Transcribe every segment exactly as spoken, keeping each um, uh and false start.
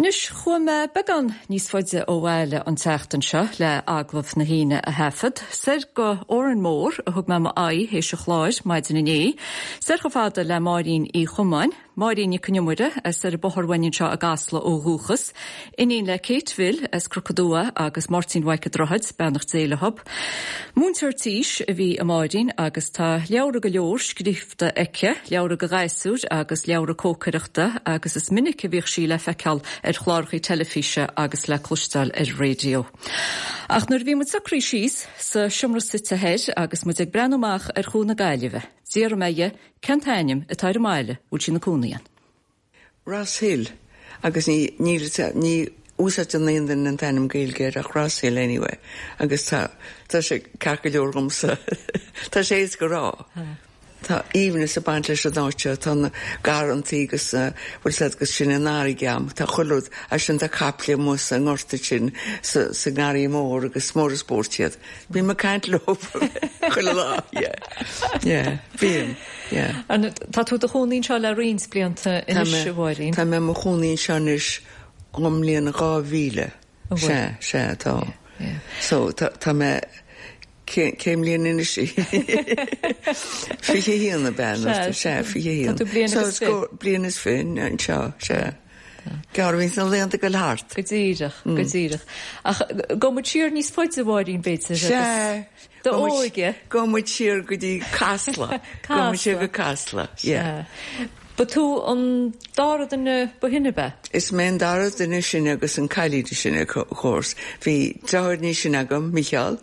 Anois chuaigh mé beagán níos faide ó bhaile an tseachtain seo le agallamh na hAoine a thaifead, soir go Órán Mór a thug mé m'aghaidh théis an chláir maidin inné, soir chomh fada le Máirín Uí Chomáin, Máirín Nic an Iomaire as ar an Bóthar Bhain anseo i gCasla ó dhúchas, iníon le Kate Bhill as Cnoc an Dua agus Máirtín Mhaidhc an Droichid, beannacht Dé leo. Múinteoir tís a bhí i Máirín agus tá leabhra go leor scríofa aici, leabhra do ghasúir agus leabhra cócaireachta agus is minic a bhíodh sí le feiceáil ar chláracha teilifíse agus le cloisteáil ar raidió. Ach nuair a bhí muid socraithe síos sa seomra suite thoir agus muid ag breathnú amach ar Chuan na Gaillimhe, d'iarr mé dhi cén t-ainm atá ar an mbaile bhfuil sí ina cónaí ann. Ross Hill agus ní ní ní úsáideann aon duine an t-ainm Gaeilge air ach Ross Hill anyway agus tá tá sé ceart go leor dhomsa tá sé éasca a rá. Tá aoibhneas ag baint leis an áit seo tá na garrantaí agus bhfuil siad agus sin an fharraige agam tá chuile rud as sin tá caiple amuigh sa ngort sin sa sa ngarraí mór agus mór is spórt iad. Bím ag caint leo chuile lá yeah yeah bím yeah. An tá tú i do chónaí anseo le roinnt blianta anois a Mháirín? Tá mé i mo chónaí anseo anois ón mbliain dhá mhíle. Sea sea tá. So tá tá mé Cén bhliain anois í? Fiche haon ab ea? Sea, fiche haon. Tá tú bliain agus fiche. Bliain is fiche anseo, sea. Gearr a bhíonns na laethanta ag dul thart. Go díreach, go díreach. Ach gabhfaidh muid siar níos faide, a Mháirín, b'fhéidir, agus Sea. do óige. Gabhfaidh muid siar go dtí Casla. Gabhfaidh muid siar go Casla, yeah. Sea. Ba tú an dara duine ba shine, ab ea? Is mé an dara duine is sine agus an cailín is sine, of course. Bhí deartháir níos sine agam, Mícheál,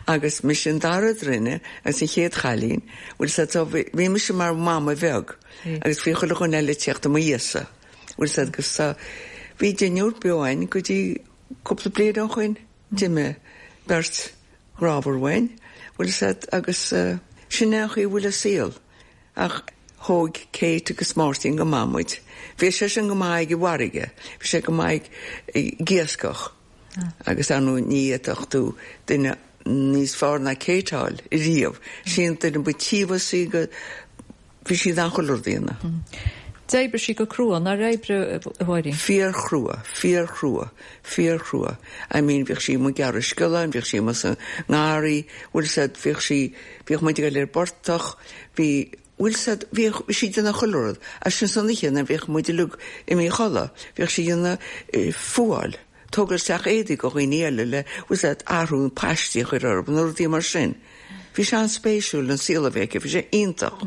agus mise an dara duine agus an chéad chailín. Bhfuil 's a'd, so bhí bhí mise mar mhama bheag agus bhí chuile dhuine eile ag tíocht i mo dhiaidhsa. Bhfuil 's a'd, agus tá, bhí deichniúr beo a'inn go dtí cúpla bliain ó shoin. D'imigh beirt ghrámhar uainn, bhfuil 's a'd, agus sin é an chaoi a bhfuil an saol. Ach thóg Kate agus Máirtín go maith muid. Bhí seisean go maith ag an bhfarraige, bhí sé go maith ag iascach agus ar ndóigh ní fhéadfadh tú duine níos fearr ná Kate a fháil riamh. Sí an duine ba tíobhasaí go, bhí sí in ann chuile rud a dhéanamh. D'oibrigh sí go crua, nár oibrigh, a Mháirín? Fíorchrua, fíorchrua, fíorchrua. I mean bhíodh sí amuigh ag gearradh sciolláin, bhíodh sí amuigh sa ngarraí, bhfuil 's a'd, bhíodh sí, bhíodh muid ag dul ar an bportach, bhí, bhfuil 's a'd, bhíodh sí ag déanamh chuile rud. As sin san oíche nuair a bhíodh muid uilig imithe a chodladh, bhíodh sí ag déanamh fuáil, tógáil isteach éadaí go dhaoine eile le, bhfuil 's a'd, athrú na paistí a chur orthu nó rudaí mar sin. Bhí sé an-spéisiúil an saol a bhí aici, bhí sé iontach.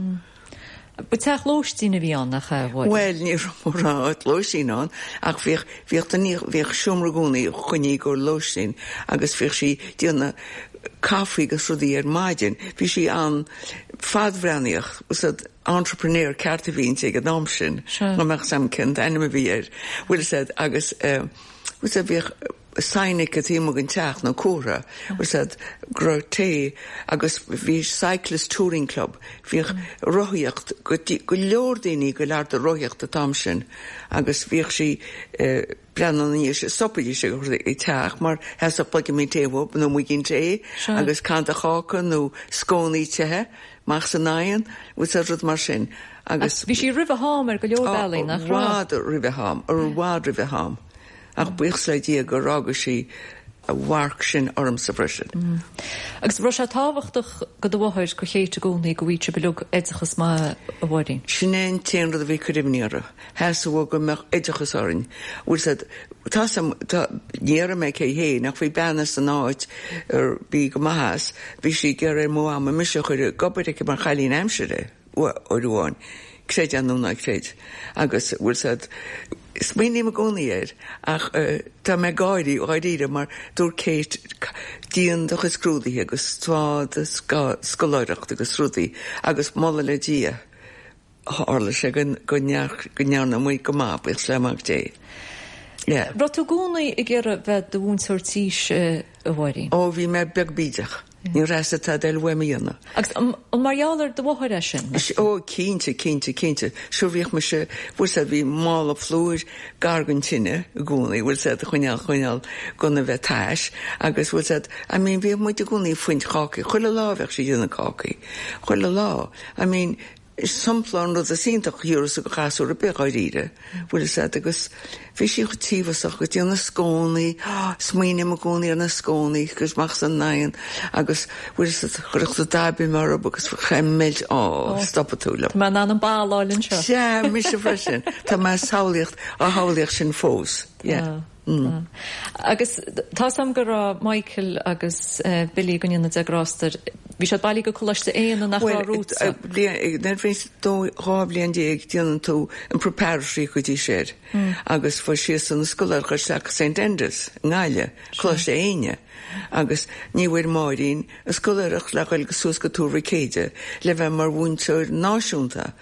Ba teach lóistín a bhí ann, nach ea, a Mháirín? Bhuel, ní raibh mórán áit lóistín ann ach bhíodh, bhíodh duine, bhíodh seomra i gcónaí coinnithe i gcomhair lóistín agus bhíodh sí ag déanamh caife agus rudaí ar maidin. Bhí sí an-fhadbhreathnaíoch, bhfuil 's a'd, entrepreneur ceart a bhí inti ag an am sin, dá mbeadh 's a'm cén t-ainm a bhí air, bhfuil 's a'd, agus eh, bhfuil 's a'd, bhíodh, sign aici taobh amuigh den teach nó comhartha, bhfuil 's a'd, go raibh tae agus bhí cyclist touring club, bhíodh rothaíocht, go go leor daoine go leor de rothaíocht an t-am sin agus bhíodh sí eh breathnú ina dhiaidh sin, stopaidís ag ag teach mar theastódh pluigimín tae uathu nó muigín tae agus canta cáca nó scónaí te amach san oigheann, bhfuil 's a'd, rud mar sin agus. Bhí sí roimh a ham ar go leor bealaí, nach raibh? I bhfad roimh a ham, i bhfad roimh a ham. Ach buíochas le Dia gur fhága sí a mharc sin ormsa freisin. Agus raibh sé tábhachtach go do mháthair, go Kate i gcónaí, go bhfaigheadh sibh uilig oideachas maith, a Mháirín? Sin é an t-aon rud a bhí ag cur imní uirthi. Theastaigh uaithi go mbeadh oideachas orainn. Bhfuil 's a'd, tá 's a'm, tá, ní déarfaidh mé cé hé, ach bhí bean as an áit a bhí go maith as, bhí sí ag iarraidh ar mo mhama mise a chur ag obair aici mar chailín aimsire. uair amháin, creid é nó ná creid, agus bhfuil 's a'd, smaoiním i gcónaí air, ach tá mé ag gáirí, dháiríre, mar dúirt Kate, déan do chuid scrúduithe agus faigh do scoláireacht agus rudaí, agus moladh le Dia, tharla sé go ndearna muid go maith, buíochas le Mac Dé. Yeah. Raibh tú i gcónaí ag iarraidh bheith i do mhúinteoir tís, a Mháirín? Ó, bhí mé beag bídeach. Ní raibh 's a'd tada eile uaim a dhéanamh. Agus an mar gheall ar do mháthair é sin? Ó, cinnte, cinnte, cinnte. Sure bhíodh mise, bhfuil 's a'd, bhí mála plúir gar don tine i gcónaí, bhfuil 's a'd, a choinneáil, choinneáil gan a bheith tais agus bhfuil 's a'd, I mean bhíodh muid i gcónaí ag fuint cácaí, chuile lá bheadh sí ag déanamh cácaí, chuile lá. I mean, Sampla an rud is iontach thiúras go chasúr a bith gáiríre, bhfuil fhios a'd agus bhí sí chomh tíobhasach go dtí na scónaí, smaoiním i gcónaí ar na scónaí agus amach san oigheann agus bhfuil fhios a'd chuirfeadh tú daibim orthu agus bheadh meilt á stopfaidh tú liom. Tá mé in ann an bail a fháil anseo. Sea, mise freisin. Tá mé samhlaíocht á shamhlaíocht sin fós. Yeah. Mm. Agus tá sam go raibh Michael agus uh, Billy go ndéana Dia grásta air, bhí siad bailí go Coláiste Éanna nach raibh rúta. dhá bhliain déag déanann tú an preparatory go dtí sin mm. agus fuair siad san scoláireacht isteach St Enda's i nGaillimh, Coláiste Éinne. Agus ní bhfuair Máirín a scoláireacht le dhul go suas go Tuar Mhic Éide le bheith mar mhúinteoir náisiúnta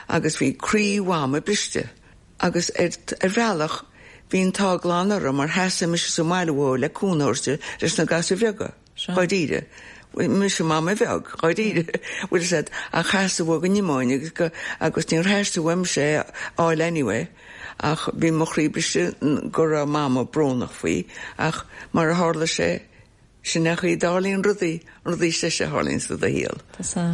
agus bhí croí mhama briste. Agus ar, ar bhealach bhí an t-ádh glan orm mar sheasaigh mise sa mbaile le cúnamh a thabhairt leis na gasúir bheaga, dháiríre. Mise mama bheag, dháiríre, bhfuil fhios a'd ach theastaigh uaidh go n-imeoinn agus go agus níor theastaigh uaimse é fháil anyway ach bhí mo chroí briste go raibh mama brónach faoi ach mar a tharla sé sin é an chaoi a dtarlaíonn rudaí, rudaí deasa a tharlaíonn sa do shaol. Tá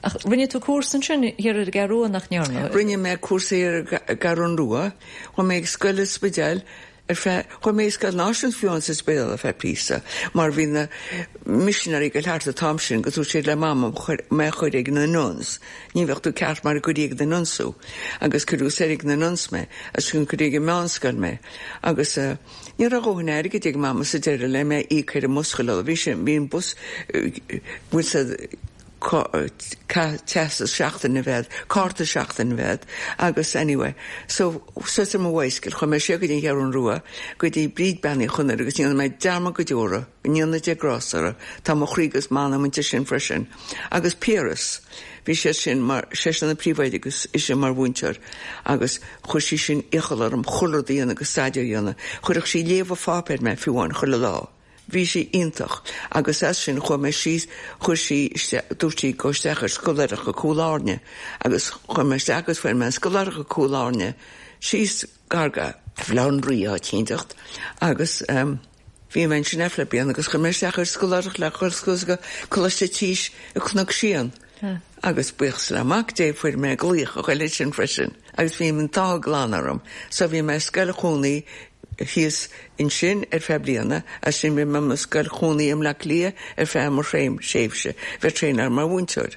Ach rinne tú cúrsa ansin thiar ar an gCeathrú Rua nach ndearna? Rinne mé cúrsa ar an gCeathrú Rua, chuaigh mé ag scoil sa Spidéal ar feadh chuaigh mé ag scoil náisiúnta fiú sa Spidéal ar feadh píosa, mar bhí na missionary go thart an t-am sin go dúirt siad le mama mé a chur ag na nuns. Ní bheadh tú ceart mar a cuirí ag na nuns thú, agus cuireadh soir ag na nuns mé, agus chun cuirí ag an meánscoil mé. Agus uh, ní raibh a dhóthain airgid ag mama sa deireadh le mé íoc ar an mbus chuile bhí sé bhí an bus bhfuil sa teastas seachtain a bhead, cárta seachtain a bhead, agus anyway, so suas ar mo bhicycle chuaigh mé siar go dtí an Cheathrú Rua go dtí Bríd Bean Uí Chonaire agus dhéanamh mé dearmad go deora, ndéana Dia grásta uirthi, tá mo chroí agus m'anam inti sin freisin. Agus Piaras, bhí sé sin mar seisean an príomhoide agus ise mar mhúinteoir agus chuir sí sin iachall orm chuile rud a dhéanamh agus staidéar a dhéanamh, chuirfeadh sí léamh an pháipéir mé fiú amháin chuile lá. Bhí sí iontach agus as sin chuaigh mé síos chuir sí dúirt sí go isteach ar scoláireacht go Cúil Airne agus chuaigh mé isteach agus fuair mé scoláireacht go Cúil Airne síos gar go Bhaile Átha an Rí áit éiginteacht agus um, bhí mé sin eile bliain agus chuir mé isteach ar scoláireacht le chur go Coláiste Tís i Cnoc Síon. Agus buíochas le Mac Dé fuair mé glaoch a chuile sin freisin, agus bhí an t-ádh glan orm, so bhí mé scoil chónaí thíos ansin ar feadh bliana, as sin bhí mé mo scoil chónaí i mBleá Cliath ar feadh mo thréim séimhse, bheith traenáil mar mhúinteoir.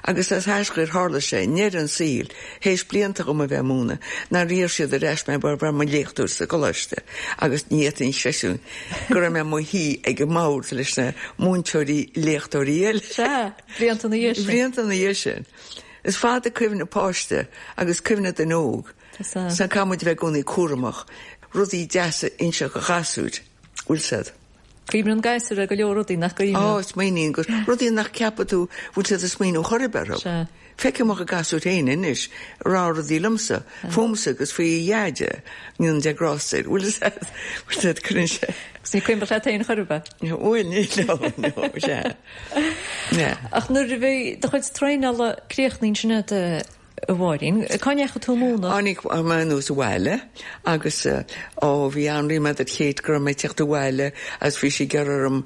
Agus as thaiscuir tharla sé ndeireadh an saoil, théis blianta agam a bheith ag múineadh, nár iarr siad ar ais mé mar bheith mo léachtóir sa gcoláiste, agus ní fhéadfainn seisiún go raibh mé mo shuí ag an mbord leis na múinteoirí léachtóirí eile. Sea, blianta ina dhiaidh sin. Blianta ina dhiaidh sin. Is fada cuimhne páiste agus cuimhne duine óg. Sa caithfidh muid a bheith i gcónaí cúramach, rudaí deasa a inseacht do ghasúir, bhfuil 's a'd. Cuimhníonn gasúir ar go leor rudaí nach gcuimhníonn. Á, smaoiníonn gur rudaí nach ceapadh tú bhfuil siad ag smaoineamh chor ar bith orthu. Sea. Feicim mo ghasúir féin anois rá rudaí liomsa, fúmsa agus faoi Dheaide, go ndéana Dia grásta air, bhfuil 's a'd, bhfuil 's a'd, cuireann sé. Agus ní cuimhneach leat féin chor ar bith. Bhuel, ní, no, no, sea. Yeah. Ach nuair a bhí do chuid traenála críochnaithe ansin agat, a Mháirín, cá ndeachaigh tú ag múineadh? Tháinig mé anuas abhaile agus ó bhí an-ríméad ar Kate go raibh mé ag teacht abhaile agus bhí sí ag iarraidh orm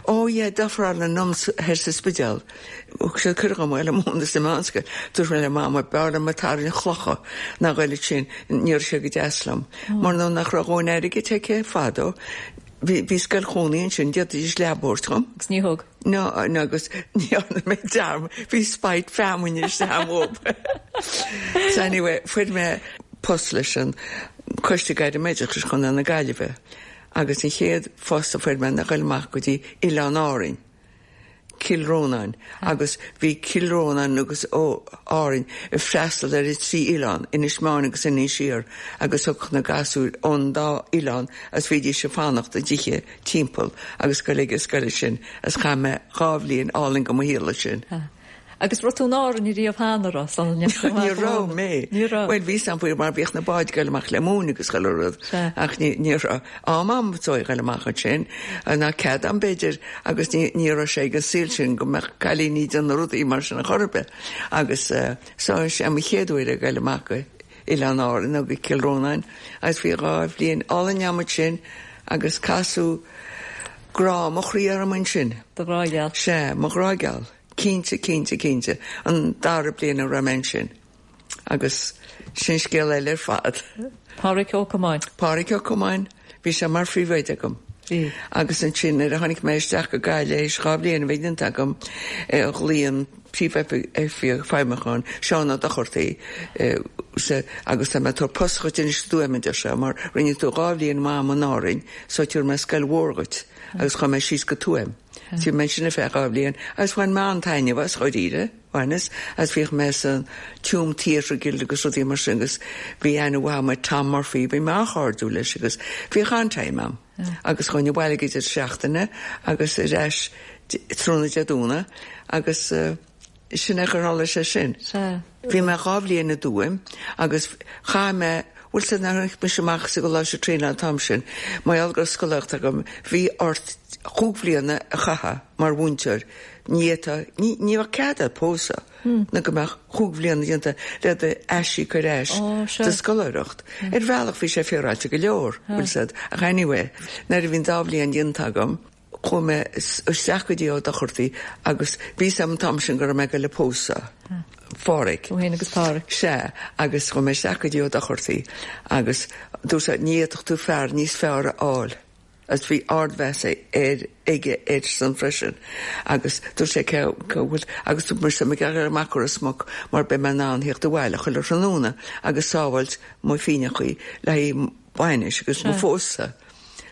ó yeah d'ofráil na nuns thoir sa Spidéal. Thug siad cuireadh dom a ghoil ag múineadh sa meánscoil. Dúirt mé le Mama b'fhearr liom ag tarraingt chlocha ná ghoil ansin ní raibh sé go deas liom. Mar nó nach raibh a dhóthain airgid aici fadó. Bhí bhí scoil chónaí ansin d'fhéadfaidís leaba a thabhairt dhom. Agus ní thug. No, no, agus ní dhearna mé dearmad, bhí spite feamainne isteach uaim. So anyway, fuair mé post leis an Coiste Gairm Oideachais Chontae na Gaillimhe agus an chéad phost a fuair mé ná ghoil amach go dtí Oileán Árainn. Cill Rónáin agus bhí Cill Rónáin agus ó Árainn ag freastal ar trí oileán Inis Meáin agus Inis Oírr agus thug na gasúir ón dá oileán as bhídís ag fanacht i dtithe timpeall agus go ag an scoil sin as chaith mé dhá bhliain álainn go mo shaol sin. Agus raibh tú in Árainn riamh cheana raibh sula ndeachaigh tú amach Ní raibh mé. Ní raibh. Well bhí sam faoi mar bhíodh na báid ag goil amach le móin agus chuile rud. Sea. Ach ní ní raibh am am so ag goil amach ansin ná cead am b'fhéidir agus ní ní raibh sé ag an saol sin go mbeadh cailíní déanamh rudaí mar sin a chor ar bith. Agus uh, so sé mo chéad uair ag goil amach go Oileán Árann nó go Cill Rónáin agus bhí dhá bhliain álainn agam sin agus casadh grá mo chroí orm ansin. Do ghrá geal. Sé mo ghrá geal. Cinnte, cinnte, cinnte, an dara bliain a raibh mé ansin. Agus sin scéal eile ar fad. Pádraig Ó Comáin. Pádraig Ó Comáin, bhí sé mar phríomhoide agam. Bhí. Agus ansin nuair a tháinig mé isteach go Gaillimh théis dhá bhliain a bheith déanta agam, ghlaoigh an príomhoifigeach feidhmiúcháin, Seán Ó Dochartaigh, agus tá mé ag tabhairt post dhuit anois i dTuaim, a deir sé, mar rinne tú dhá bhliain maith agam in Árainn, so tabharfaidh mé scoil mhór dhuit. Agus chuaigh mé síos go Tuaim. Bhí mé ansin ar feadh dhá bhliain agus bhain mé an-taitneamh as dháiríre, bhaineas, agus bhíodh mé san Tuam Theatre Guild agus rudaí mar sin agus bhí aithne mhaith agam ar Tom Murphy, bhí mé an-chairdiúil leis agus bhíodh an-time agam. Agus chuaigh abhaile ag deireadh seachtaine agus ar ais tráthnóna Dé Domhnaigh agus sin é gur tharla sé sin. Bhí mé dhá bhliain i dTuaim agus chaith mé bhfuil sé nuair a tháinig mise amach sa gcoláiste traenála an t-am sin, mar gheall go raibh scoláireacht agam, bhí ort chúig bhliana a chaitheamh mar mhúinteoir, ní fhéadfá, ní ní bheadh cead agat pósadh nó go mbeadh chúig bhliana déanta le d'aisíoc ar ais do scoláireacht. Ar bhealach bhí sé féaráilte go leor, bhfuil 's agat, ach anyway, nuair a bhí an dá bhliain déanta agam, chuaigh mé isteach go dtí Ó Dochartaigh agus bhí 's agam an t-am sin go raibh mé ag goil a pósadh Phádraig. Tú féin agus Pádraig. Sea, agus chuaigh mé isteach go dtí Ó Dochartaigh agus dúirt sé ní fhéadfadh tú fear níos fearr a fháil agus bhí ardmheas air aige airsean freisin agus dúirt sé cé go bhfuil agus dúirt mise mé ag dul amach go Ros Muc mar beidh mé in ann theacht abhaile chuile thráthnóna agus sábháilt mo phingineachaí le haghaidh bainis agus mo phósadh.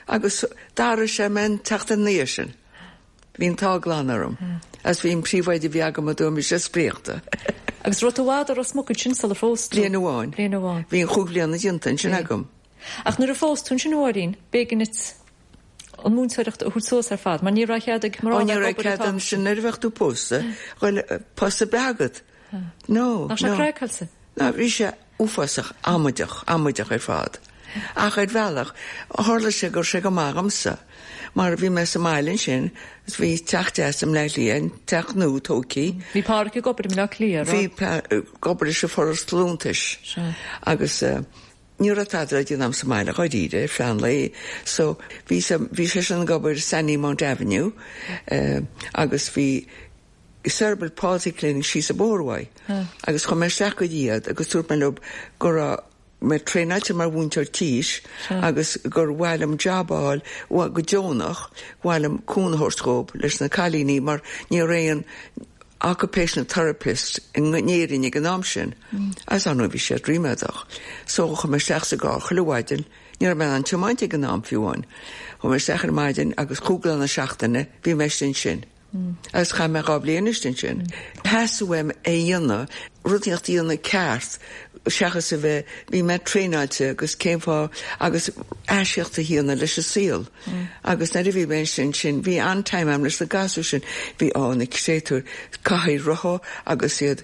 Agus d'athraigh sé mé an tseachtain ina dhiaidh sin. Bhí an t-ádh glan orm. Agus bhí an príomhoide a bhí agam i dTuaim, bhí sé spríochta. Agus raibh tú i bhfad i Ros Muc ansin sular phós tú? Bliain amháin. Bliain amháin. Bhí an chúig bhliana déanta ansin agam. Ach nuair a phós tú ansin a Mháirín, b'éigean duit an mhúinteoireacht a thabhairt suas ar fad, mar ní raibh cead ag mná Ó a ní bheith ag raibh obair an cead t-am ansin nuair a bheadh tú pósta, bhuel post ar bith agat. No, Nach sé no. craiceáilte? Ná bhí sé uafásach amaideach, amaideach ar fad. Ach ar bhealach, tharla sé go raibh sé go maith dhomsa, mar bhí mé sa mbaile ansin, is bhí teach deas i mBleá Cliath, an teach nua tógtha. Bhí Pádraic ag obair i mBleá Cliath, Bhí ag obair leis an Foras Liúntais. Sea. Agus ní raibh tada le déanamh sa mbaile dháiríre ar feadh an lae. So bhí bhí seisean ag obair i Sandymount Avenue agus bhí Cerebral Palsy Clinic síos an bóthar uaidh. Agus chuaigh mé isteach go dtí iad agus dúirt mé leo go raibh mé traenáilte mar mhúinteoir tís agus gur mhaith liom job a fháil go deonach, mhaith liom cúnamh a thabhairt dhób leis na cailíní mar ní raibh aon occupational therapist in Éirinn ag an am sin. Agus ar ndóigh bhí siad ríméadach. So chuaigh mé isteach sa gcarr chuile mhaidin, ní raibh mé in ann tiomáint ag an am fiú amháin. Chuaigh mé isteach ar maidin agus cúig lá na seachtaine bhí mé istigh ansin. Agus chaith mé dhá bhliain istigh ansin. Theastaigh uaim é a dhéanamh, rud inteacht a dhéanamh ceart seachas a bheith, bhí mé traenáilte agus cén fáth agus aisíoc a dhéanamh leis an saol. Agus nuair a bhí mé ansin sin, bhí an-time agam leis na gasúir sin, bhí á na créatúir cathaoir rotha agus iad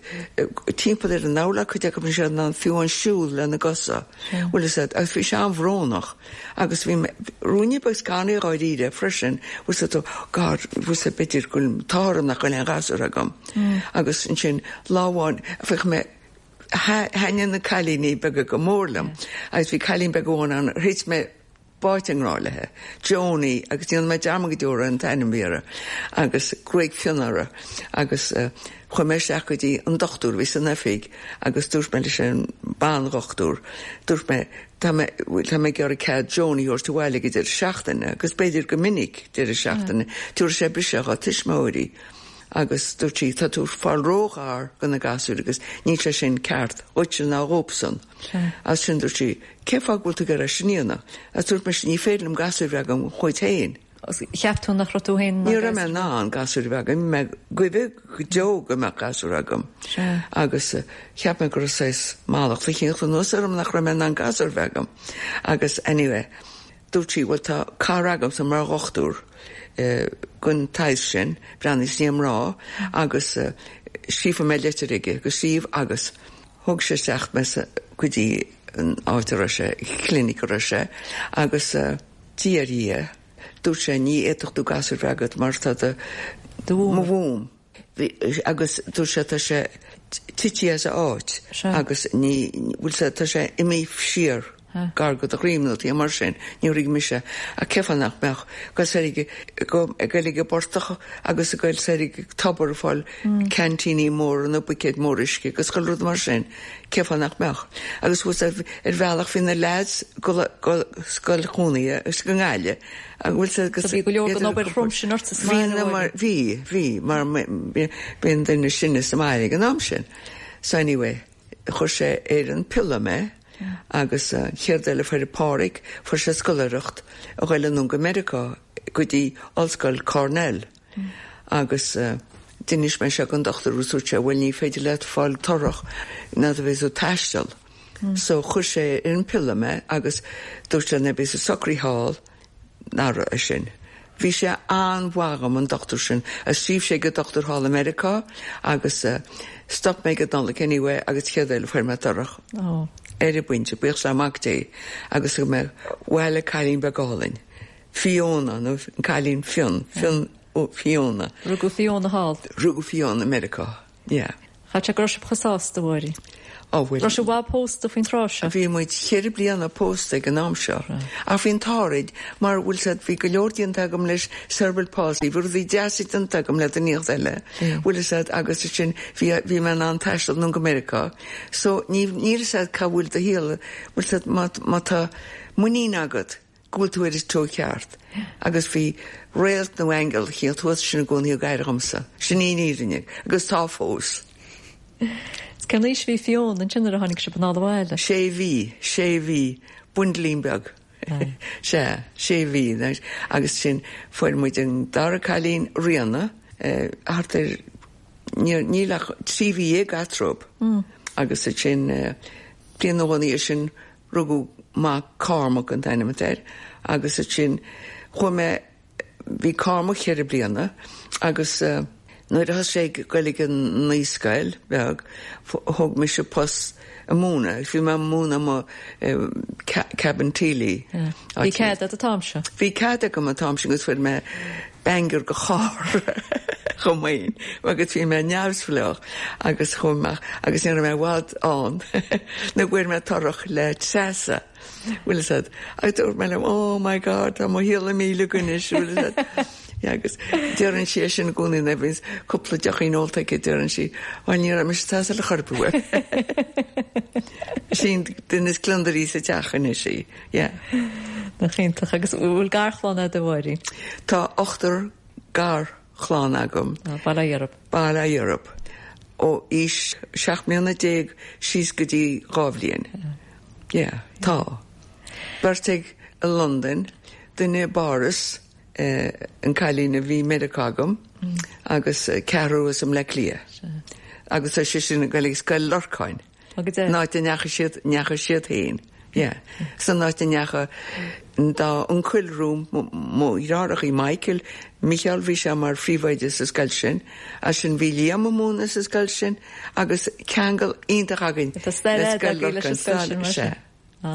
timpeall ar an urlár, cuid acu bhí siad in ann fiú amháin siúl lena gcosa. Bhfuil fhios agat, agus bhí sé an-bhrónach agus bhí mé, ruainne beag scanraithe dháiríre freisin, bhfuil fhios agat, oh God, bhfuil fhios agat, b'fhéidir go bhfuil an t-ádh orm nach bhfuil aon ghasúr agam. Agus ansin lá amháin, bhí mé, thaitnigh na cailíní beaga go mór liom agus bhí cailín beag amháin ann ar thit mé báite i ngrá léi, Joni, agus déanfaidh mé dearmad go deo ar an t-ainm a bhí uirthi, agus gruaig fionn uirthi agus chuaigh mé isteach go dtí an dochtúir a bhí san oifig agus dúirt mé leis an ban-dhochtúir, dúirt mé, tá mé, tá mé ag iarraidh cead Joni a thabhairt abhaile ag deireadh seachtaine agus b'fhéidir go minic deireadh seachtaine, tabharfaidh sé briseadh dhá tuismitheoirí. Agus dúirt sí, tá tú ag fáil róghar do na gasúir agus níl sé sin ceart dhuitse ná dhóibhsan. As sin dúirt sí, cén fáth go bhfuil tú ag iarraidh sin a dhéanamh? Agus dúirt mise, ní féidir liom gasúir a bheith agam dhuit féin. Cheap tú nach raibh tú féin in ann Ní raibh mé in ann gasúir a bheith agam, bhí mé goimh go deo go mbeadh gasúr agam. Agus cheap mé go raibh saghas mallacht eicínt anuas orm nach raibh mé in ann gasúr a bheith agam. Agus anyway, Dúirt sí, Bhuel, tá cara agamsa mar dhochtúir den tsaghas sin, breathnaíos i ndiaidh mná agus scríobhfaidh mé litir chuige agus scríobh agus thug sé isteach mé go dtí an áit a raibh sé, clinic a raibh sé agus Dia ar Dhia, dúirt sé, ní fhéadfadh tú gasúr bheith agat mar tá do, mo mhúm. Agus dúirt sé tá sé tite as a áit agus ní, bhfuil sé, tá sé imithe siar. Gar go do dhroim nó mar sin, ní rig mise a cefa nach mbeach go go goil ag portach agus a goil soir ag tobar fáil cantíní mór na buicéid mór uisce agus chuile rud mar sin cefa nach mbeach. Agus bhfuil ar bhealach bhí na lads go scoil chónaithe is go nGaillimh agus bhfuil bhí go leor den obair throm sin ort Bhí mar bhí bhí mar bhí duine sinne sa mbaile ag an am sin. So anyway, chuir sé ar an piolla mé agus chéad eile fuair Pádraig fuair sé scoláireacht a ghoil anonn go Meiriceá go dtí Ollscoil Cornell. Mm. Agus uh, d'inis mé seo don dochtúir dúirt sé bhfuil ní féidir leat fáil torrach ná a bheith ag taisteal. Mm. So chuir sé ar an piolla mé agus dúirt sé na bí socraí thall nára é sin. Bhí sé an-mhaith dhom an dochtúir sin a scríobh sé go dochtúir thall i Meiriceá agus uh, stop mé go Nollaig anyway agus chéad eile fuair mé torrach. Oh. Ar an bpointe buíochas le Mac Dé agus go mé bhile cailín beag álainn. Fiona nó an cailín Fionn Fionn ó Fiona. Rugadh Fiona thall. Rugadh Fiona Meiriceá. Yeah. Cha go raibh sibh chomh sásta bhí. Ó bhfuil. Raibh sibh bhfuil pósta faoin tráth seo. Bhí muid ceithre bliana pósta ag an am seo. Ach bhí an t-ádh mar bhfuil said bhí go leor déanta agam leis cerebral palsy, bhí rudaí deasa déanta agam le daoine eile. Bhfuil said agus sin bhí bhí mé an taisteal anonn go Meiriceá. So ní níl said cá bhfuil do shaol bhfuil said má má tá muinín agat go bhfuil tú ar an treo ceart. Agus bhí réalt nó aingeal chéad thuas sin i gcónaí ag éirí dhomsa. Sin í an fhírinne agus tá fós. Cén aois bhí Fiona ansin a tháinig sibh anall abhaile. Sé mhí, sé mhí, bundlín beag. sé, sé mhí agus sin fuair muid an dara cailín Ríona thart ar níl ach trí mhí déag eatarthu. Agus sin bliain nó dhó sin rugadh mac Cormac an t-ainm air agus sin chuaigh mé bhí Cormac ceithre bliana agus uh, nuair a thosaigh sé ag goil ag an naíscoil beag thóg mise post ag múineadh, bhí mé múineadh mo Cabinteely. Bhí cead agat an t-am seo? Bhí cead agam an t-am sin agus fuair mé banger go charr chomh maith agus bhí mé neamhspleách agus chomh agus ní raibh mé i bhfad ann nó fuair mé torrach le Treasa. Bhfuil said agus dúirt mé liom oh my god tá mo shaol míle anois bhfuil said agus deireann sí sin i gcónaí na bhíos cúpla deochín ólta aici deireann sí bhuel ní raibh mise tá le chorpú. Sin duine is gliondaraí sa teach anois í. Yeah. Nach iontach agus bhfuil garchlann agat a Mháirín. Tá ochtar garchlann agam. Bail ó Dhia orthu. Bail ó Dhia orthu. Ó aois seacht mbliana déag síos go dtí dhá bhliain. Yeah, tá. Beirt ag i Londain, duine i bPáras, eh, an cailín a bhí Meiriceá agam, agus ceathrar i mBleá Cliath. Agus tá sé sin ag goil ag Scoil Lorcáin. Agus é? An áit a ndeachaigh siad ndeachaigh siad féin. Yeah. San áit a ndeachaigh dá uncail romham mo dheartháireacha Michael, Michael bhí sé mar phríomhoide sa scoil sin, as sin bhí Liam ag múineadh sa scoil sin, agus ceangal iontach againn Tá stair le fhada Scoil agaibh leis an Lorcáin. scoil sin, mar Sea. sin.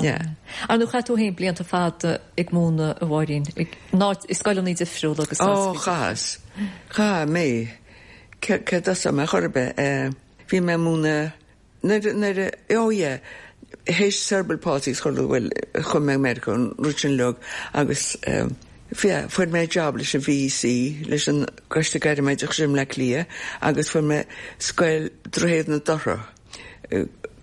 Yeah. Ar nó chaith tú féin blianta fada ag múineadh a Mháirín ag ná i scoileanna difriúla agus Ó chas. Cha mé. Ce ce mé chorbe bhí mé múineadh nuair ó yeah théis cerebral palsy chu bhfuil chum mé Meiriceá an rud sin log agus Fia, fuair mé job leis an VEC leis an Coiste Gairmoideachais i mBleá Cliath agus fuair mé scoil Droichead na Dothra.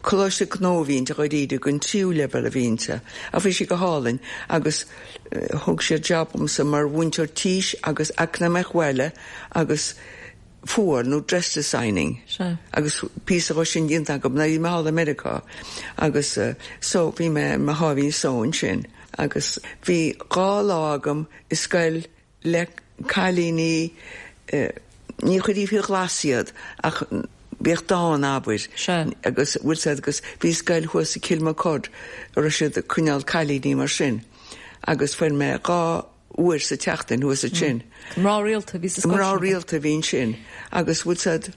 Coláiste gnó a bhí inti dháiríre gon tríú leibhéal a bhí inti, a bhí sí go hálainn agus thug sé job dhomsa mar mhúinteoir tís agus eacnamaíocht bhaile agus fuáil nó dress designing. Sea. Agus píosa dhó sin déanta agam na bhí mé thall i Meiriceá agus uh, so bhí mé mo sháimhín só ansin agus bhí dhá lá agam i scoil le cailíní uh, ní chuirí fi ghlas iad ach bhíodh dán abair Sea. agus bhfuil said agus bhí scoil thuas i Kilmacud a raibh siad ag coinneáil cailíní mar sin agus fuair mé dhá uair sa tseachtain thuas ansin. Mná rialta bhí sa scoil Mná sin. rialta bhí sin agus bhfuil said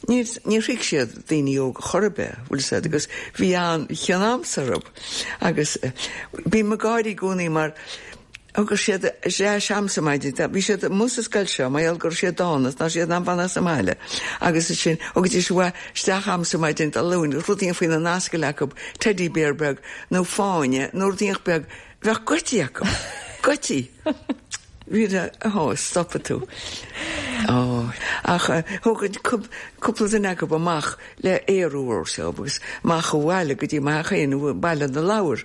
ní ní thuig siad daoine óga chor ar bith bhfuil said agus bhí an cheann orthu agus eh, bhí mé ag gáire i gcónaí mar Agus siad sé seamsa maidin, bhí siad mus scoil seo, mar gur siad dánas ná siad an fanna sa mbaile. Agus sin agus is isteach a'msa maidin a lún, rudaí faoina n-ascaill acu teddy bear beag nó fáinne nó rudaí beag bheadh goití acu. Goití. Bhí ó stop tú. Ó ach thug cúpla duine acu amach le aerú seo agus amach abhaile go dtí ma chéin baile na leabhar.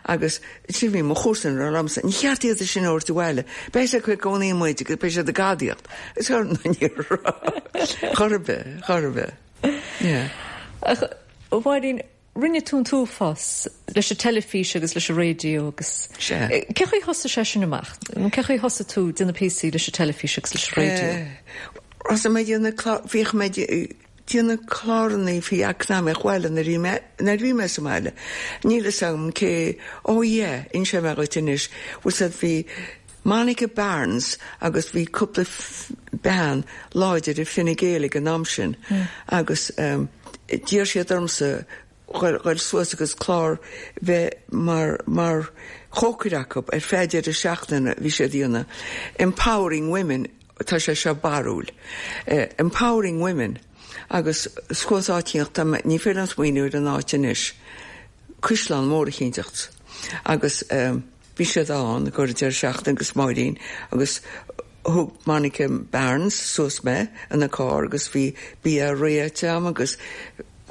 Agus sin bhí mo chomharsan liomsa, ní cheart iad sin áirt bhaile, Beidh sé chuig cónaí muid agus beidh siad ag gadaíocht. Is chu chorbe chorbe. Ach Mháirín, rinne tú an t-uafás leis an teilifís agus leis an raidió agus Sé. Cé chaoi thosaigh sé sin amach? Nó cé chaoi thosaigh tú déanamh píosaí leis an teilifís agus leis an raidió? Ros mé bhíoh mé déanamh cláranna faoi eacnamaíocht bhaile nuair bhí mé nuair bhí mé sa mbaile. Níl a fhios agam cé ó yeah, inseoidh mé dhuit anois, bhfuil siad bhí Monica Barnes agus bhí cúpla bean láidir i Fine Gael ag an am sin agus um, d'iarr siad ormsa ghoil suas agus clár bheith mar mar chócaire acu ar feadh deireadh seachtaine bhí sé déanamh. Empowering Women tá sé seo barúil. Uh, empowering Women agus scuas áitíocht ní féidir liom smaoineamh ar an áit anois. Cuisleán mór a chinnteacht. Agus um, bhí siad ann gur deireadh seachtaine agus Máirín agus thug Monica Barnes suas mé ina carr agus bhí bia réite agam agus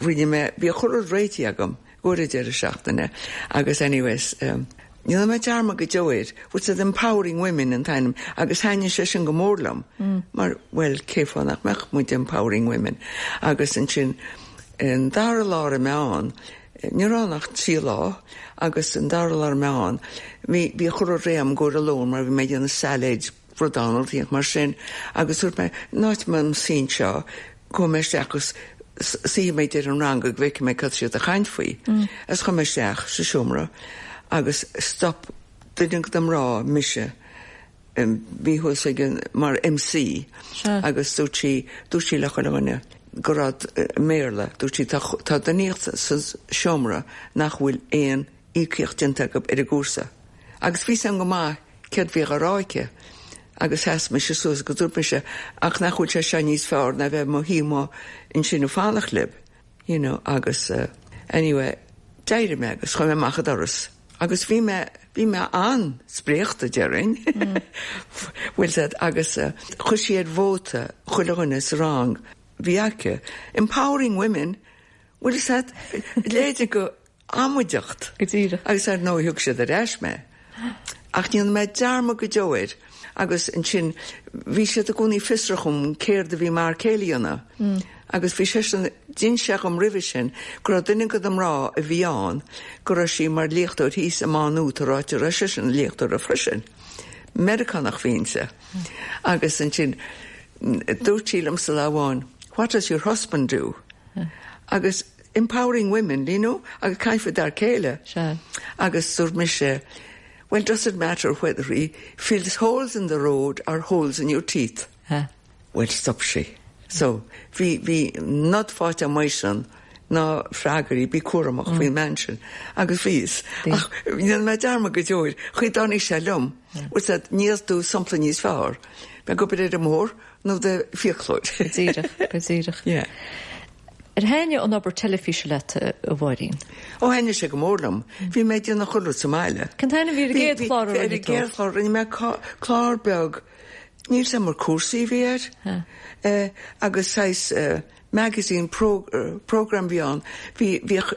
rinne mé bhí chuile rud réitithe agam go deireadh seachtaine agus anyways um, Níl mé dearmad go deo air, bhfuil siad empowering women an t-ainm agus thaitnigh sé sin go mór liom mm. mar well cé fáth nach mbeadh muid empowering women agus ansin an dara lá a meán ní nach trí lá agus an dara lá meán bhí bhí chur réam go a lón mar bhí mé déanamh salad bradán mar sin agus dúirt mé náit man sín seo go mé isteach sí mé ar an rang go bhfeicfidh mé cad siad a chaint faoi. Is chuaigh mé isteach sa seomra agus stop duine den mná mise bhí thuas ag mar MC agus dúirt sí dúirt sí le chuile dhuine go raibh mBéarla dúirt sí tá duine sa seomra nach bhfuil aon íocaíocht déanta acu ar an gcúrsa. Agus bhí an go maith céard bhí á rá aici agus sheas mise suas go dúirt mise ach nach bhfuil sé seo níos fearr ná bheith mo shuí ansin ag fanacht libh. You know, agus uh, anyway, d'éirigh mé agus chuaigh mé amach an doras. Agus bhí mé bhí mé an-spréachta déarfainn bhfuil siad agus uh, chuir sí ar vóta chuile dhuine sa rang bhí aici empowering women bhfuil siad léide go amaideacht Go díreach. agus ar ndóigh thug siad ar ais mé. Ach níl mé dearmad go deo air agus ansin bhí siad i gcónaí fiosrach um céard a bhí mar céilíonna. Mm. Agus bhí sé sin din se am roimhe sin go raibh duine den mná a bhí ann go raibh sí mar léachtóir thíos i Má Nuad ráite ra sin léachtóir a freisin. Meiriceánach bhíonse. Agus ansin dúirt sí liom sa láháin, what does your husband do? Agus empowering women, you know, agus caithfidh dar céile. Sea. Agus dúirt mise, well, does it matter whether he fills holes in the road or holes in your teeth? Ha. Well, stop sí. So, bhí bhí nod fáilte maisin ná freagarí bí cúramach mm. faoin mbean sin agus bhíos. Ach níl mé dearmad go deo air, chuid dánig sé liom, mm. níos tú sampla níos fearr. Be go ar mór nó de fiaclóid. Go díreach, go díreach. Yeah. Ar thaitnigh an obair teilifíse leat a Mháirín. Ó thaitnigh sé go mór liom, bhí mé déanamh chuile rud sa mbaile. Cén t-ainm a bhí ar an gcéad chlár a Ar rinne tú? gcéad chlár rinne mé clár beag níl sem mar cúrsaí bhí air eh, agus sais uh, magazine pro, uh, program bhí ann bhí bhíodh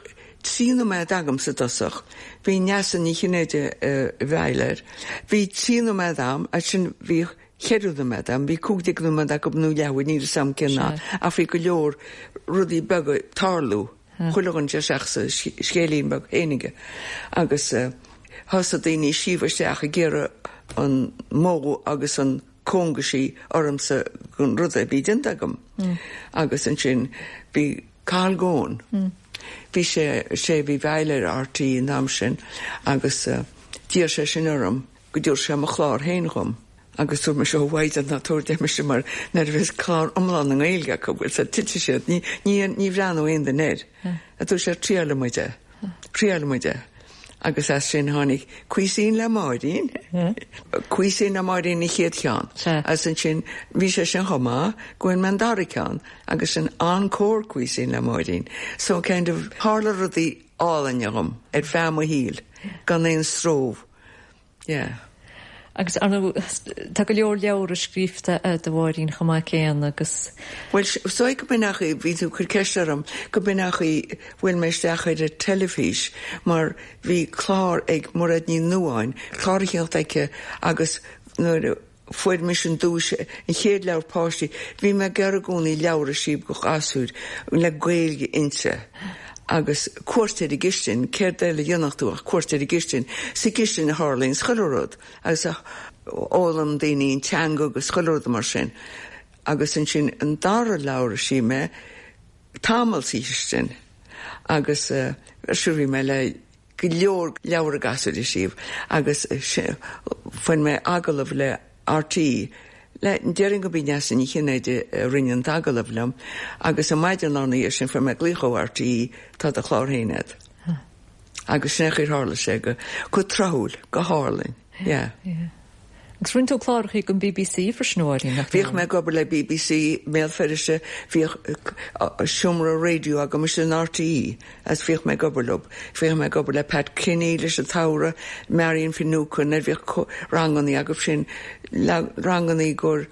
trí nóiméad agam sa dosach bhí Neasa Ní Chinnéide uh, bheiler bhí trí nóiméad agam a sin bhí ceithre nóiméad agam bhí cúig déag nóiméad agam nó leathuair níl sam cén Sea. ach bhí go leor rudaí beaga tarlú chuile dhuine isteach sa scéilín beag fhéinige agus uh, thosaigh daoine síomh isteach ag iarraidh an modh agus an cóngaisí ormsa gon rud a bhí déanta agam. Mm. Agus ansin bhí Carl Gón. Mm. Bhí sé sé bhí bheiler RTÉ an am sin agus uh, d'iarr sé sin orm go dúir sé mo chlár féin dhom. Agus dúirt mise ó mhaid ná tuair me mar nar bhís clár iomlán na nGaeilge go bhfuil sa tite siad ní ní ní bhreathnódh aon duine air. A tú sé triail muide. Triail muide. Agus as sin tháinig Cuisine le Máirín. Cuisine le Máirín an chéad cheann. As ansin bhí sé sin chomh maith go bhfuair mé an dara ceann agus sin Encore Cuisine le Máirín. So kind of tharla rudaí álainn dhom ar feadh mo shaoil gan aon stró. Yeah. Agus arna tá go leor leabhar scríofa agat a Mháirín chomh maith céanna agus. Well so go b'in é bhí tú ag cur ceist orm go b'in é bhfuil mé isteach ar an teilifís mar bhí clár ag Mairéad Ní Nuáin, clár a cheart aici agus nuair fuair mise an duais an chéad leabhar páistí, bhí mé ag iarraidh i gcónaí leabhar a scríobh do ghasúir le Gaeilge inti. Agus cuairt ar an gcistin, céard eile a dhéanfadh tú ach cuairt ar an gcistin, sa gcistin a tharlaíonn chuile rud agus a fhoghlaim daoine an teanga agus chuile rud mar sin. Agus ansin an dara leabhar a scríobh mé tamall sa chistin agus uh, bhí mé le go leor leabhar gasúir a scríobh agus fuair mé agallamh le RTÉ Le déarfainn go b'í Neasa Ní Chinnéide a rinne an t-agallamh liom agus an maidin lá ina dhiaidh sin fuair mé glaoch ó RTÉ tá do chlár féin agat. Agus sin chuir tharla sé go go tráthúil go hálainn. Yeah. Yeah. Agus rinne tú cláracha don BBC freisin a Mháirín nach Bhíodh mé ag obair le BBC Béal Feirste bhíodh seomra raidió agam in RTÉ as bhíodh mé ag obair leo. Bhíodh mé ag obair le Pat Kinney leis an tsamhradh, Marion Finucane ar bhíodh ranganna agaibh sin ranganna gur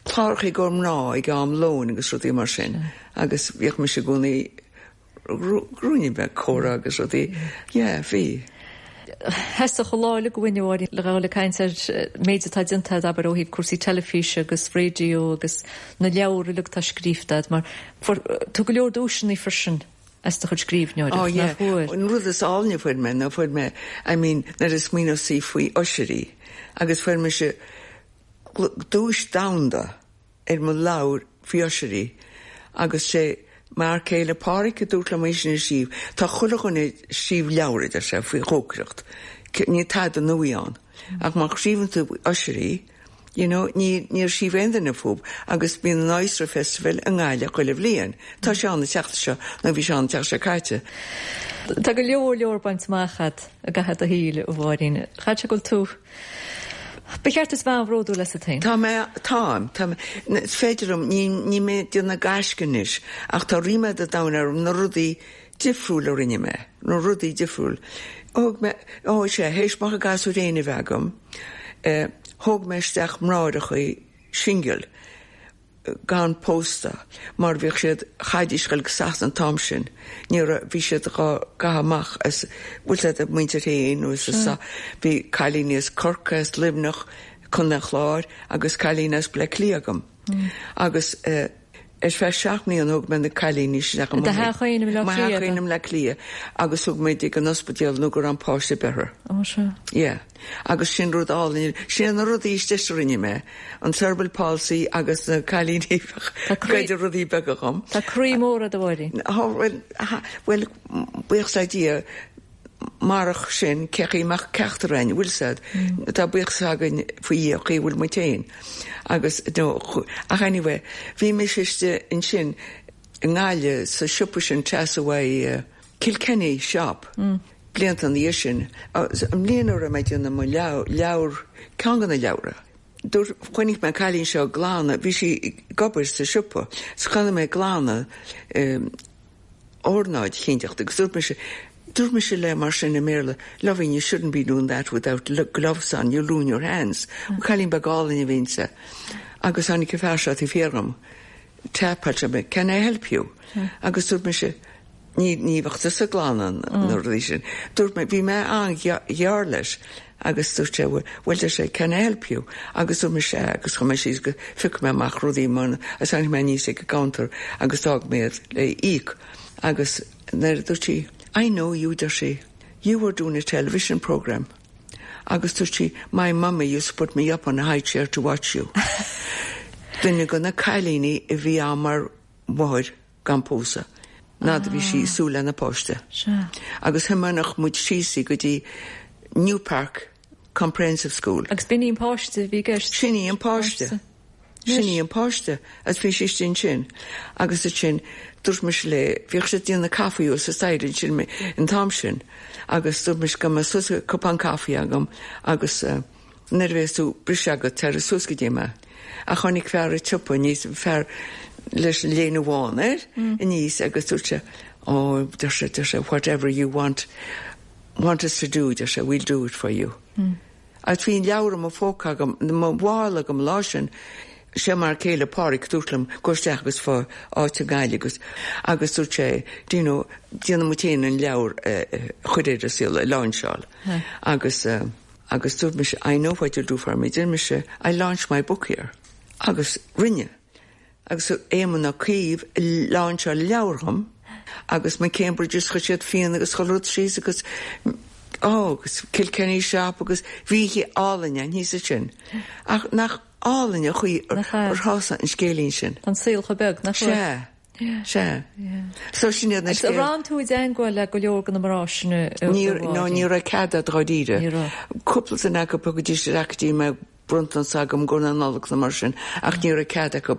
cláracha gur mná ag am lóin agus rudaí mar sin. Agus bhíodh mise i gcónaí grúine beag córa agus rudaí. Yeah, bhí. Theastódh an lá uilig uainn a Mháirín le ghabháil ag caint ar méid atá déanta agat ó thaobh cúrsaí teilifíse agus raidió agus na leabhair uilig atá scríofa agat mar fuair tú go leor duaiseanna freisin as do chuid scríbhneoireacht Oh yeah. nach bhfuair. An rud is áilne fuair mé ná fuair mé I mean nuair a smaoineos faoi oisirí agus fuair mise duais domhanda ar mo leabhar faoi oisirí agus sé mar céile Pádraig a dúirt liom sin a scríobh Tá chuile dhuine ag scríobh leabhar idir sé faoi chócaireacht. Ní tada nua ann. Ach má scríobhann tú oisirí, you know, ní níor scríobh aon duine fúthu agus bíonn an Oyster Festival i nGaillimh chuile bhliain. Tá sé an tseachtain seo nó bhí sé an tseachtain seo caite. Tá go leor leor bainte amach agat i gcaitheamh do shaoil a Mháirín. Chaithfeadh sé go bhfuil tú Ba cheart duit bheith bródúil asat féin. Tá mé táim tá is féidir liom ní ní mé déanamh gaisce anois ach tá ríméad an domhain orm na rudaí difriúil a rinne mé, na rudaí difriúil. Thóg mé ó sé théis mo ghasúir féin a bheith agam, eh, thóg mé isteach mnáireachaí single gan pósta mar bhíodh siad chaidís go sas an t-am sin ní bhí siad ga amach as bhfuil siad muintir féin nó sa bhí cailíní as Corcaigh as Luimneach Contae an Chláir agus cailín as Bleá Cliath agam. Agus uh, ar feadh seacht mbliana thóg mé na cailíní isteach Do theach féin i mBleá Cliath, féin i mBleá Cliath agus thug mé ag an ospidéal nó go raibh an páiste beirthe. Ó seo. Yeah. Agus sin rud álainn sin na rudaí istigh a rinne mé an cerebral palsy agus na cailíní goid rudaí beaga dhom. Tá croí mór agat a Mháirín. Well well buíochas le Dia marach sin cechaí meach ceachtarrain bhfuil sad Tá buíochas againn faoi Dhia chaoi bhfuil muid féin. Agus no, ach anyway, bhí mé istigh ansin i nGaillimh sa siopa sin trasna uh, Kilkenny shop. Mm. Blianta ina dhiaidh sin an mbliain a mé déanamh mo leabhar ceann de na leabhra. Dúirt chonaic mé cailín seo glanadh, bhí sí ag obair sa siopa, 's chonaic mé glanadh um, ornáid chinnteacht agus dúirt mise Dúirt mise le mar sin i mBéarla, loving you shouldn't be doing that without gloves on, you'll ruin your hands. Mm. Cailín beag álainn a bhí inti. Agus tháinig fear seo taobh thiar dhom. Tapáilte mé, can I help you? Mm. Agus dúirt mise, ní ní bheadh sa glanadh na rudaí sin. Dúirt mé bhí mé an-ghearr leis agus dúirt sé well sé can I help you agus dúirt mise agus chuaigh mé síos go phioc mé amach rudaí man agus tháinig mé aníos ag an gcounter agus d'fhág mé le íoc agus nuair dúirt sí I know you deir sí you were doing a television program agus dúirt sí my mummy used to put me up on a high chair to watch you. Duine de na cailíní a bhí á mar mháthair gan pósadh. Ná bhí sí súil lena páiste. Agus thiomáineadh muid síos go dtí New Park Comprehensive School. Agus b'in í an páiste bhí i gceist. Sin í an páiste. Sin í an páiste agus bhí sí istigh ansin agus ansin dúirt mise léi bhíodh siad ag déanamh caife sa staighre ansin an t-am sin agus dúirt mise go mbeadh suas cupán caife agam agus uh, nuair a bheas tú briseadh agat tar suas go dtí mé. Ach tháinig fear an tsiopa aníos fear leis an léine bhán air aníos agus dúirt sé oh deir sé deir sé whatever you want want us to do deir sé we'll do it for you. Mm. Agus bhí an leabhar i mo phóca agam mo mhála agam lá sin sé mar chéile Pádraig dúirt liom go isteach agus faigh áit i nGaillimh agus agus dúirt sé do you know déanfaidh muid féin an leabhar chur ar an saol a láinseáil agus uh, agus dúirt mise I know what you'll do for me deir mise I launch my book here agus rinne agus Éamon Ó Cuív láinseáil leabhar dhom agus ma Cambridge chuir siad fíon agus chuile rud síos agus ó agus Kilkenny shop agus bhí sé álainn an thíos sin ach nach álainn a chuí ar thása an scéilín sin. An saol chomh beag nach Se Se So sin na Agus an raibh tú i dteagmháil le go leor de na mná sin Ní ní raibh cead dáiríre. Cúpla duine acu go dtí sé mé bronntanas agam go na Nollag na mar sin ach ní raibh cead acu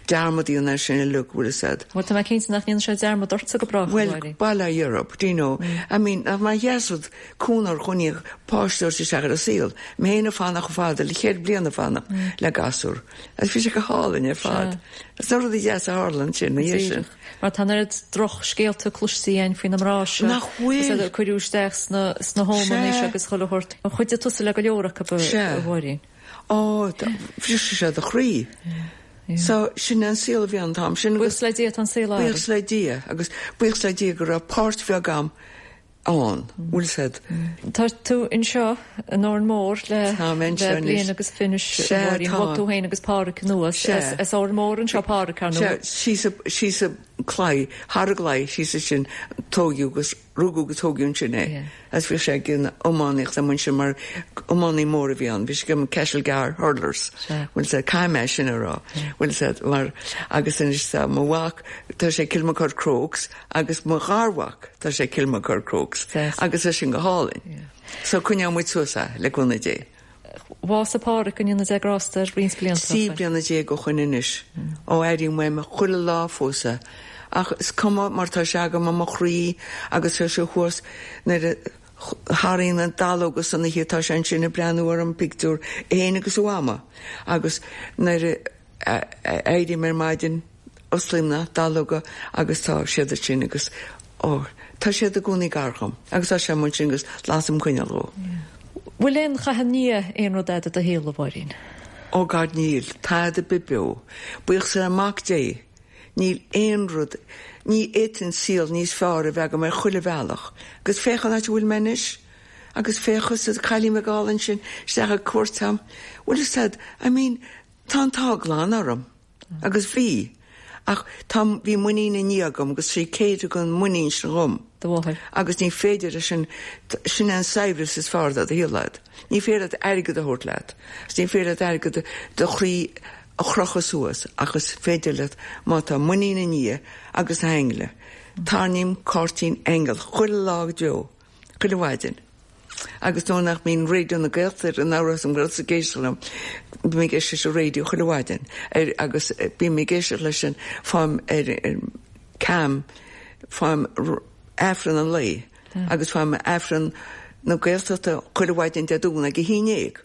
dearmad na sin le bhfuil said. Well tá cinnte nach ndéanfaidh sé dearmad ortsa go brách Well bail Europe, do you know? Mm. I mean mar dheasrad cúnar chuní páiste sé se a saol, mé féin ag fanacht fada le chéad bliana fanacht mm. le gasúr. Agus bhí sé go hálainn ar fad. Is rud deas a tharla sin na sin. Mar tá an drochscéalta cloiste againn faoi na mná seo Nach bhfuil cuireadh isteach sna sna home agus chuile shórt. An chuidigh tusa le go leor acu a Mháirín. Ó bhris sé do chroí. So sin an saol a bhí an t-am sin Buíochas le Dia an saol Buíochas le Dia agus buíochas le Dia go raibh páirt bheag agam ann bhfuil said. Tá tú anseo in Órán Mór le le bliain agus fiche tú féin agus Pádraig anuas as Órán Mór anseo Pádraig nó. Síos an claí thar an gclaí síos sin tógadh agus rugadh agus tógadh sin é. As bhí sé gin iománaíocht am sin mar iománaí mór a bhí ann, bhí sé go Castlegar Hurlers. Bhfuil sé caiimé sin ará. Bhfuil sé mar agus anois mo mhac tá sé Kilmacud Crokes agus mo gharmhac tá sé Kilmacud Crokes agus é sin go hálainn. So coinneoidh muid suas le cúnamh Dé. Bhásaigh Pádraig go ndéana Dia grásta air roinnt blianta. Trí bliana déag ó shoin anois ó airím uaim chuile lá fós é. Ach is cuma mar tá sé agam i mo chroí agus sé sé thuas nuair a tharraing na dallóga san oíche tá sé ansin ag breathnú ar an pictiúr é agus a mhama agus nuair a éirím ar maidin osclaím na dallóga agus tá siad sin agus ó tá siad i gcónaí gar dhom agus tá sé mun sin agus lasaim coinneal dhó. Bhfuil aon chaitheamh i ndiaidh aon rud eile do shaol a Mháirín? Ó God níl, tada beo. Buíochas le Mac Dé. Níl aon rud, ní fhéadfainn saol níos fearr a bheith agam ar chuile bhealach, agus féach an áit a bhfuil mé anois, agus féach sa cailín beag sin isteach ag cuairt am. Bhfuil said, I mean, tá an t-ádh glan orm, agus bhí. Ach tá bhí muinín i nDia agam agus sí céad an muinín sin dhom. Do mháthair. Agus ní féidir sin sin an saibhreas is fearr do shaol leat. Ní féidir leat airgead a thabhairt leat. Ní féidir leat airgead do chroí a chrochadh suas agus féidir leat má tá muinín i nDia agus na haingle. Tarraingím cártaí aingeal chuile lá deo, chuile mhaidin. Agus nó nach mbíonn Raidió na Gaeltachta an áras an Gael sa géistelam, bí mé éis a raidió chuile mhaidin agus bí mé géisteach leis sin fáim ar cam fáim Aifreann an lae agus faighim Aifreann na Gaeltachta chuile mhaidin Dé Domhnaigh ag a haon déag.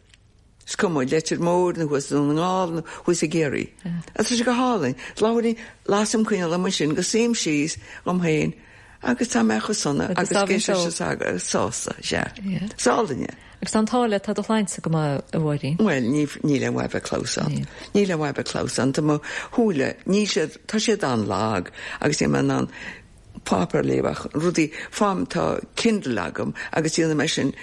Is cuma Leitir Móir nó thuas na nGall nó thuas i gCiarraí. Tá sé go hálainn, Láirí lasaim coinneal am sin go suím síos dhom féin agus tá mé chomh sona agus géis sásta sé. Sálinne. Agus an tále tá do shláinte go maith a Mháirín? Well, níl aon mhaith bheith clamhsán. Níl aon mhaith bheith clamhsán Tá mo shúile ní siad tá siad an-lag agus é an an páipéar léamh ach rudaí fáim tá Kindle agam agus dhéanamh mé sin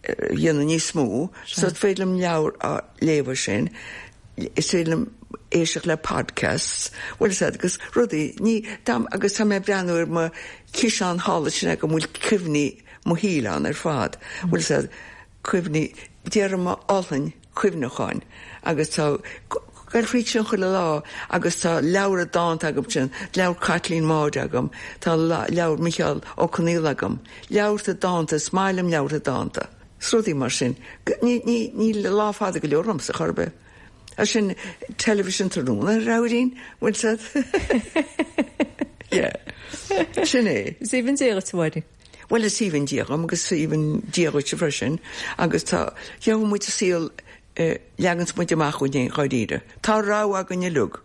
dhéanamh níos mó, so is féidir liom leabhar a léamh sin, is féidir liom éisteacht le podcasts, bhfuil said agus rudaí ní agus tá mé breathnú ar mo chiseán thall sin go bhfuil cuimhní mo shaoil ann ar fad, bhfuil said cuimhní déarfainn ollán cuimhneacháin agus tá Gael fríd sin chuile lá agus tá leabhar dánta agam sin, leabhar Caitlín Maude agam, tá leabhar Micheál Ó Conghaile agam, leabhartha dánta is maith liom leabhartha dánta. Rudaí mar sin, ní lá fada go leor ormsa chor ar bith. A sin television tráthnóna rabhrín bhfuil sad? Yeah. Sin é. Is aoibhinn Dia duit Máirín. Well is aoibhinn Dia dom agus aoibhinn Dia dhuit freisin agus tá gheobhaidh muid saol uh, leagans muid amach chugainn dháiríre. Tá rogha againn uilig.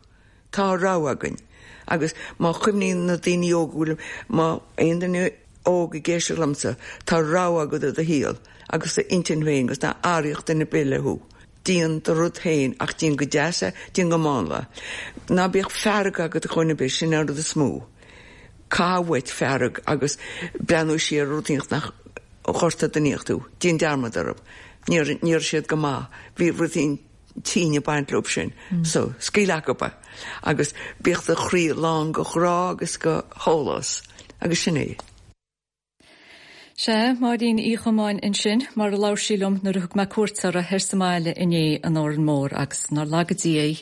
Tá rogha againn. Agus má chuimhníonn na daoine óga bhfuil má aon duine óg ag éisteacht liomsa, tá rogha agat i do shaol agus d'intinn féin agus ná áiríocht duine ar bith thú. Déan do rud féin ach déan go deas é, déan go mánla. Ná bíodh fearg agat chun be sin ar rud is mó. Cá bhfuit fearg agus breathnú siar rudaí nach chorta daníochtú, Déan dearmad orthu. Níor níor siad go maith, bhí rudaí tíine baint leo sin, mm. so scaoil acu agus bíodh do chroí lán go ghrá agus go heolas agus sin é. Sé Máirín Uí Chomáin ansin mar a labhair sí liom nuair a thug mé cuairt uirthi sa mbaile inné in Órán Mór agus nár laga Dia